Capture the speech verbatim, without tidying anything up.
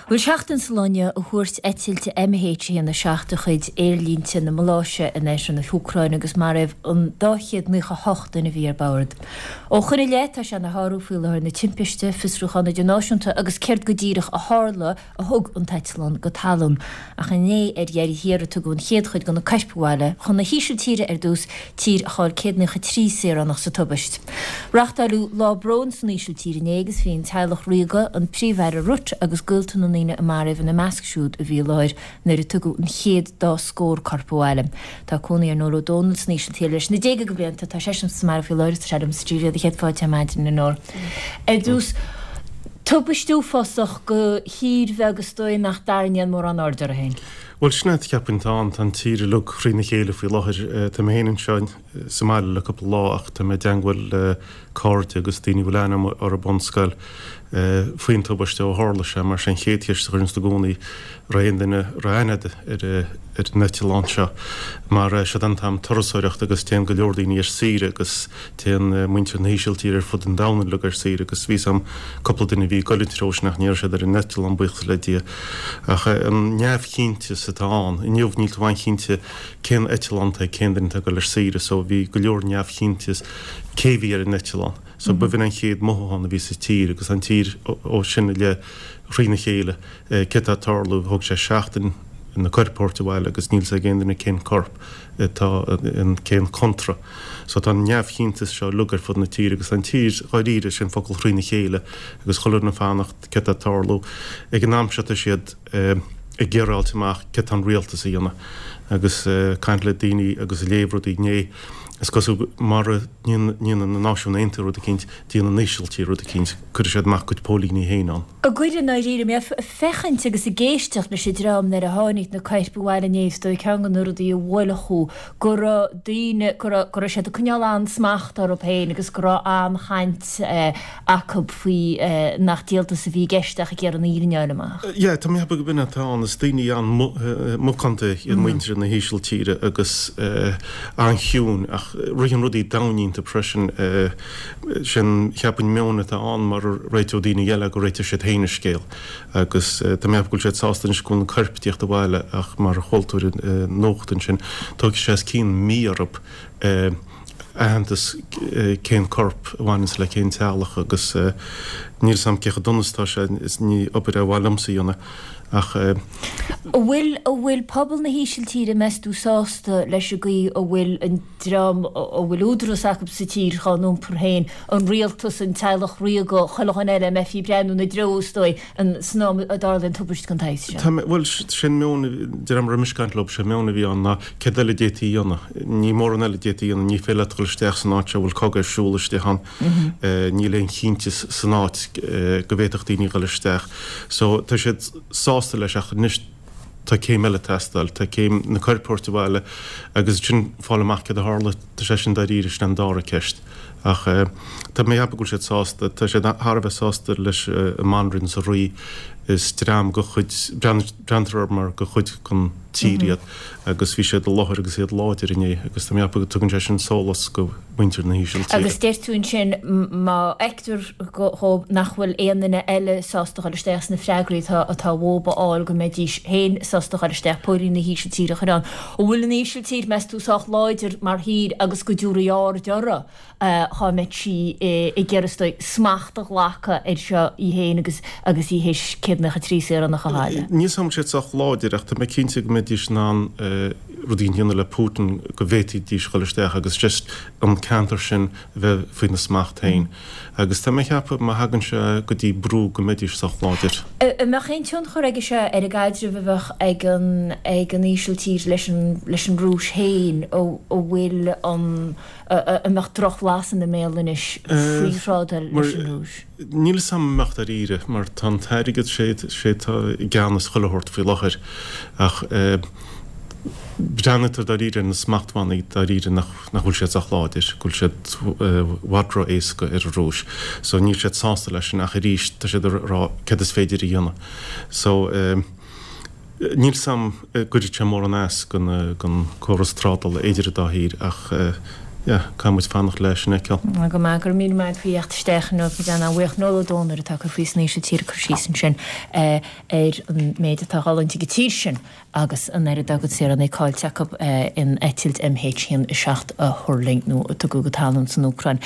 Bhuel, seachtain sa lá inniu ó thuairt eitilt M H a haon a seacht de chuid Aerlínte na Maláise in oirthear na hÚcráine agus maraíodh an dá chéad naocha hocht duine a bhí ar bord. Ó shoin i leith, tá sé ina shárú faoi láthair na timpiste, fiosrúchán idirnáisiúnta agus céard go díreach a tharla a thug an t-eitleán go talamh. Ach inné ar dheireadh thiar a tugadh an chéad chuid de na coirp abhaile chun na hÍsiltíre ar dtús, tír a chaill céad naocha trí saoránach sa tubaist. Reáchtáladh lá bróin san Ísiltír inné agus bhí an teaghlach ríoga, an Príomh-Aire Rutte agus gaolta na ndaoine a maraíodh ina measc siúd a bhí i láthair nuair a tugadh an chéad dá scór corp abhaile. Tá cónaí ar Noel Ó Dónaill san Ísiltír leis na déaga de bhlianta, tá seisean sa mbaile faoi láthair, tá sé liom sa stiúideo do chéad fáilte ar maidin, a Noel. Ar dtús, tubaist uafásach do thír bheag is dóigh nach dtarraingíonn mórán aird uirthi féin. Bhuel, sin é, cheapfainn, tá an tá an tír uilig thrína chéile faoi láthair. Tá mé féin anseo sa mbaile le cúpla lá ach tá mé i dteangmháil le cairde agus daoine a bhfuil aithne agam orthu ón scoil faoin tubaiste ó tharla sé, mar sé an chéad cheist a chuireann siad i gcónaí raibh aon duine raibh aithne agat ar ar an eitleán seo, mar siod an t-am turasóireachta agus téann go leor daoine ar saoire agus téann muintir na hÍsiltíre ar fud an domhain uilig ar saoire agus bhí a fhios agam cúpla duine a bhí ag dul an treo sin ach ní raibh siad ar an eitleán, buíochas le Dia. Ach an neamhchinnteas atá ann inniu, níl tú an-chinnte cén eitleán atá ag cén duine atá ag dul ar saoire, so bhí go leor neamhchinnteas cé bhí ar an eitleán. So b'in an chéad mothúchán a bhí sa tír agus an tír ó sin i leith thrína chéile, céard atá ag tarlú. Thóg sé seachtain na coirp a thabhairt abhaile agus níl a fhios ag aon duine cén corp atá in cén contra. So tá an neamhchinnteas seo uilig ar fud na tíre agus an tír dháiríre, sin focal, thrína chéile agus chuile dhuine ag fanacht céard atá ag tarlú. Ag an am seo tá siad ag iarraidh fháilt amach céard tá an rialtas a dhéanamh agus caint le daoine agus ag léamh rudaí inné. Is cosúil mara ndéanann na Náisiúin Aontaithe rud eicínt, déanann an Ísiltír rud eicínt, cuirfidh siad amach a gcuid póilíní féin ann. Ag goil i ndáiríre, mé ag féachaint agus ag éisteacht leis an dream nuair a tháinig na coirp abhaile inné, is dóigh ceann de na rudaí a bhuail thú go raibh daoine, go raibh, go raibh siad ag coinneáil an-smacht orthu féin agus go raibh an-chaint acu faoi nach díoltas a bhí i gceist ach ag iarraidh an fhírinne a fháil amach. Yeah, tá mé ag ceapadh go b'in atá ann. Is daoine an-mhacánta iad muintir na hÍsiltíre agus an-chiúin ach ritheann rudaí domhain iontu freisin. Sin, cheapfainn, meon atá ann, mara réiteodh daoine eile go réiteodh siad féin an scéal. Agus tá mé ag ceapadh go bhfuil siad sásta anois go bhfuil na coirp ag tíocht abhaile ach mar a chuala tú ar an nuacht ansin, tógfaidh sé os cionn mí orthu aitheantas cén corp a bhaineanns le cén teaghlach agus níl 'fhios a'm cé chomh dona is atá sé, is ní obair é ba mhaith liomsa a dhéanamh ach. An bhfuil, an bhfuil pobal na hÍsiltíre, meas tú, sásta leis an gcaoi a bhfuil an dream a bhfuil údaras acu sa tír dhá n-iompar féin, an rialtas, an teaghlach ríoga, chuile dhuine eile, a mbeifí ag breathnú ina dtreo, is dóigh, san am a dtarlaíonn tubaist den tsaghas seo? Tá mé, bhuel, sin meon, de réir mar a bhí mise ag caint leo, sé meon a bhí ann ná céard eile a d'fhéadfaí a dhéanamh? Ní mórán eile a d'fhéadfaí a dhéanamh, ní féidir leat dul isteach san áit seo a bhfuil cogadh ar siúl istigh ann, níl aon chinnteas san áit go bhféadfadh daoine dul isteach. So tá siad sásta leis ach anois tá céim eile ag teastáil, tá céim na coirp a thabhairt abhaile agus ansin fáil amach céard a tharla, tá sé sin dáiríre, sin an dara ceist. Ach tá mé ag ceapadh go bhfuil siad sásta, tá siad thar a bheith sásta leis an mbanríon is an rí, is dream de chuid, breathnaítear orthu mar de chuid den tír iad agus bhí siad i láthair agus iad láidir inné agus tá mé ag ceapadh go dtugann sé sin sólás go muintir na hÍsiltíre. Agus deir tú ansin má fheictear dhóibh nach bhfuil aon duine eile sásta dhul isteach sna freagraí atá atá uathu a fháil go mbeidís féin sásta dhul isteach, póilíní na hÍsiltíre a chur ann. An bhfuil an Ísiltír, meas tú, sách láidir mar thír agus go dtabharfaí aird uirthi dhá mbeadh sí ag iarraidh, is dóigh, smacht a ghlacadh air seo í féin agus agus í théis céad naocha trí saoránach a chailleadh. Níl 's a'm an bhfuil siad sách láidir ach tá mé cinnte go mbeidís in ann rudaí a dhéanamh le Putin go bhféadfaidís dhul isteach agus just an ceantar sin a bheith faoina smacht féin. Agus tá mé ag ceapadh má thagann sé go dtí brú go mbeidís sách láidir. An mbeadh aon tionchar aige seo ar an gcaidreamh a bheadh ag an ag an Ísiltír leis an leis an Rúis féin, a bhfuil an an mbeadh drochbhlas ina mbéal anois faoi thrádáil leis an Rúis? Níl 'fhios a'm an mbeadh dáiríre, mar tá an t-airgead, sé sé atá i gceannas chuile shórt faoi láthair ach breathnaítear dáiríre ar na smachtbhannaí dáiríre nach nach bhfuil siad sách láidir, go bhfuil siad i bhfad ró-éasca ar an Rúis. So níl siad sásta leis sin ach arís tá siad ag rá céard is féidir a dhéanamh. So níl 'fhios a'm an gcuirfidh sé mórán as don córas trádála idir an dá thír ach yeah, caithfidh muid fanacht leis sin a fheiceáil. Go maith, go raibh míle maith agat faoi theacht isteach inniu, muid an-bhuíoch. Noel Ó Dónaill atá ag cur faoi san Ísiltír ag cur síos ansin ar an méid atá ag dul ag an tír sin agus an oiread dá gcuid saoránaigh caillte acu in eitilt M H haon a seacht a thuirling nó a tugadh go talamh san Úcráin.